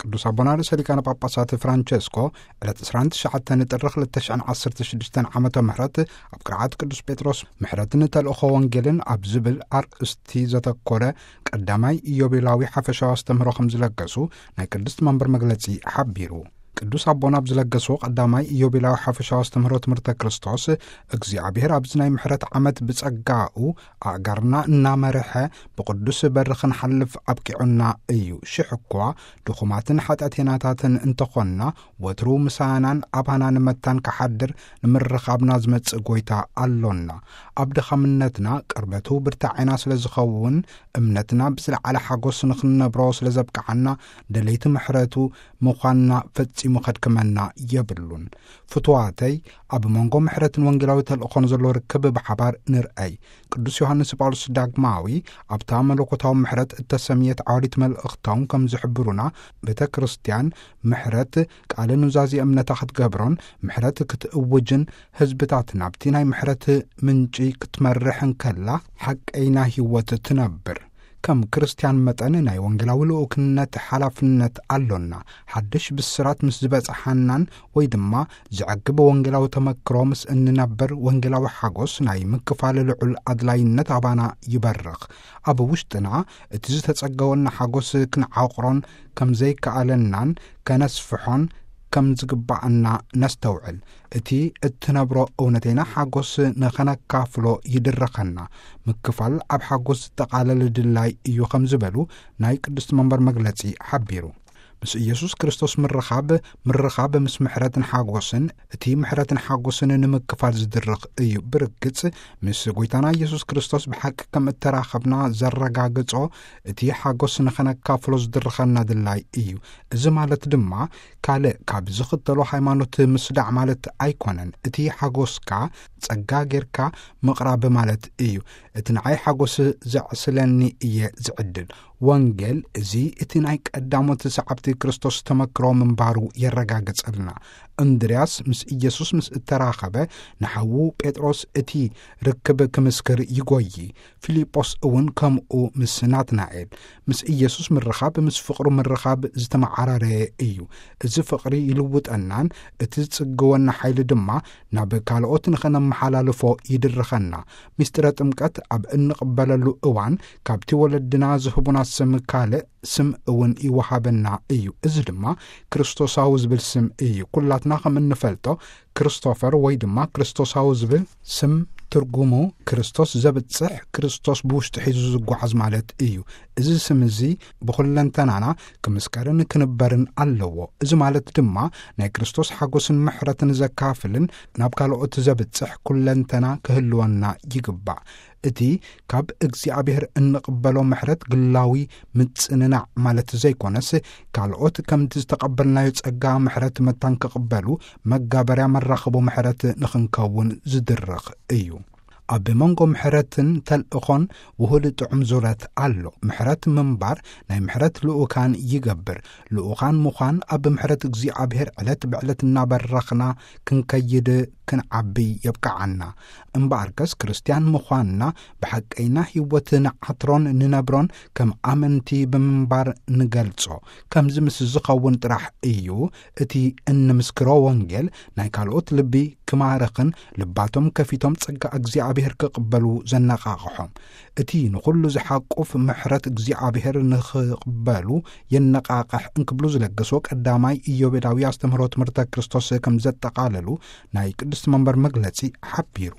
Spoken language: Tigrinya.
ቅዱስ ኣቦና ርእሰ ሊቃነ ጳጳሳት ፍራንቸስኮ ዕለት ዕስራን ትሽዓተን ጥሪ ክልተ ሽሕን ዓሰርተ ሽዱሽተን ዓመተ ምህረት ኣብ ቅርዓት ቅዱስ ጴጥሮስ ምሕረትን ተልእኾ ወንጌልን ኣብ ዝብል ኣርእስቲ ዘተኮረ ቀዳማይ ኢዮቤላዊ ሓፈሻዊ ኣስተምህሮ ከም ዝለገሱ ናይ ቅድስት መንበር መግለጺ ሓቢሩ። ቅዱስ ኣቦና ኣብ ዝለገስዎ ቀዳማይ ኢዮቤላዊ ሓፈሻዊ ኣስተምህሮ ትምህርተ ክርስቶስ፣ እግዚኣብሔር ኣብዚ ናይ ምሕረት ዓመት ብጸጋኡ ኣእጋርና እናመርሐ ብቅዱስ በሪ ክንሓልፍ ኣብቂዑና እዩ። ሽሕ እኳ ድኹማትን ሓጢኣተኛታትን እንተኾንና፣ ወትሩ ምሳናን ኣባናን መታን ክሓድር ንምርኻብና ዝመጽእ ጐይታ ኣሎና። ኣብ ድኻምነትና ቅርበቱ ብርታዔና ስለ ዝኸውን፣ እምነትና ብዝለዓለ ሓጎስ ንኽንነብሮ ስለ ዘብቅዓና፣ ደለይቲ ምሕረቱ ምዃንና ፈጺሙ ከድክመና የብሉን። ፍቱዋተይ፣ ኣብ መንጎ ምሕረትን ወንጌላዊ ተልእኾን ዘሎ ርክብ ብሓባር ንርኣይ። ቅዱስ ዮሃንስ ጳውሎስ ዳግማዊ ኣብታ መለኮታዊ ምሕረት እተሰምየት ዓወዲት መልእኽቶም ከም ዝሕብሩና፣ ቤተ ክርስቲያን ምሕረት ቃለ ኑዛዜ እምነታ ክትገብሮን ምሕረት ክትእውጅን፣ ህዝብታት ናብቲ ናይ ምሕረት ምንጪ ክትመርሕ እንከላ ሓቀይና ህይወት ትነብር። ከም ክርስቲያን መጠን ናይ ወንጌላዊ ልኡክነት ሓላፍነት ኣሎና። ሓድሽ ብስራት ምስ ዝበጽሓናን ወይ ድማ ዘዕግብ ወንጌላዊ ተመክሮ ምስ እንነብር፣ ወንጌላዊ ሓጎስ ናይ ምክፋል ልዑል ኣድላይነት ኣባና ይበርኽ። ኣብ ውሽጥና እቲ ዝተጸገወና ሓጎስ ክንዓቕሮን ከም ዘይከኣለናን ከነስፍሖን ከም ዝግባኣና ነስተውዕል። እቲ እትነብሮ እውነተይና ሓጎስ ንኸነካፍሎ ይድረኸና። ምክፋል ኣብ ሓጎስ ዝጠቓለል ድላይ እዩ ከም ዝበሉ ናይ ቅድስት መንበር መግለጺ ሓቢሩ። ምስ ኢየሱስ ክርስቶስ ምርኻብ፣ ምርኻብ ምስ ምሕረትን ሓጎስን፣ እቲ ምሕረትን ሓጎስን ንምክፋል ዝድርኽ እዩ። ብርግጽ፣ ምስ ጐይታና ኢየሱስ ክርስቶስ ብሓቂ ከም እተራኸብና ዘረጋግጾ፣ እቲ ሓጎስ ንኸነካፍሎ ዝድርኸና ድላይ እዩ። እዚ ማለት ድማ፣ ካልእ ካብ ዝኽተሎ ሃይማኖት ምስዳዕ ማለት ኣይኮነን። እቲ ሓጎስካ ጸጋ ጌርካ ምቕራብ ማለት እዩ። እቲ ንዓይ ሓጎስ ዘዕስለኒ እየ ዝዕድል። ወንጌል እዚ እቲ ናይ ቀዳሞት ሰዓብቲ ክርስቶስ ተመክሮ ምንባሩ የረጋግጸልና። እንድርያስ ምስ ኢየሱስ ምስ እተራኸበ፣ ንሓዉ ጴጥሮስ እቲ ርክብ ክምስክር ይጎዪ። ፊልጶስ እውን ከምኡ ምስ ናትናኤል። ምስ ኢየሱስ ምርኻብ ምስ ፍቕሩ ምርኻብ ዝተመዓራረየ እዩ። እዚ ፍቕሪ ይልውጠናን እቲ ዝጽግወና ሓይሊ ድማ ናብ ካልኦት ንኸነመሓላልፎ ይድርኸና። ምስጢረ ጥምቀት ኣብ እንቕበለሉ እዋን ካብቲ ወለድና ዝህቡና ስም ካልእ ስም እውን ይወሃበና እዩ። እዚ ድማ ክርስቶሳዊ ዝብል ስም እዩ። ኩላትና ከም እንፈልጦ ክርስቶፈር ወይ ድማ ክርስቶሳዊ ዝብል ስም ትርጉሙ ክርስቶስ ዘብጽሕ፣ ክርስቶስ ብውሽጡ ሒዙ ዝጓዓዝ ማለት እዩ። እዚ ስም እዚ ብኹለንተናና ክምስከርን ክንበርን ኣለዎ። እዚ ማለት ድማ ናይ ክርስቶስ ሓጎስን ምሕረትን ዘካፍልን ናብ ካልኦት ዘብጽሕ ኩለንተና ክህልወና ይግባእ። እቲ ካብ እግዚኣብሔር እንቕበሎ ምሕረት ግላዊ ምጽንናዕ ማለት ዘይኮነስ፣ ካልኦት ከምቲ ዝተቐበልናዮ ጸጋ ምሕረት መታን ክቕበሉ መጋበርያ መራኽቦ ምሕረት ንኽንከውን ዝድርኽ እዩ። ኣብ መንጎ ምሕረትን ተልእኾን ውሁድ ጥዑም ዙረት ኣሎ። ምሕረት ምንባር ናይ ምሕረት ልኡካን ይገብር። ልኡካን ምዃን ኣብ ምሕረት እግዚኣብሔር ዕለት ብዕለት እናበረኽና ክንከይድ ክንዓቢ የብቅዓና። እምበኣርከስ ክርስትያን ምዃንና ብሓቀይና ህይወት ንዓትሮን ንነብሮን ከም ኣመንቲ ብምንባር ንገልጾ። ከምዚ ምስ ዝኸውን ጥራሕ እዩ እቲ እንምስክሮ ወንጌል ናይ ካልኦት ልቢ ክማርኽን ልባቶም ከፊቶም ጸጋ እግዚኣብሔር ክቕበሉ ዘነቓቕሖም። እቲ ንኹሉ ዝሓቁፍ ምሕረት እግዚኣብሔር ንኽቕበሉ የነቓቕሕ እንክብሉ ዝለገስዎ ቀዳማይ ኢዮቤላዊ ኣስተምህሮ ትምህርተ ክርስቶስ ከም ዘጠቓለሉ ናይ ቅድስት መንበር መግለጺ ሓቢሩ።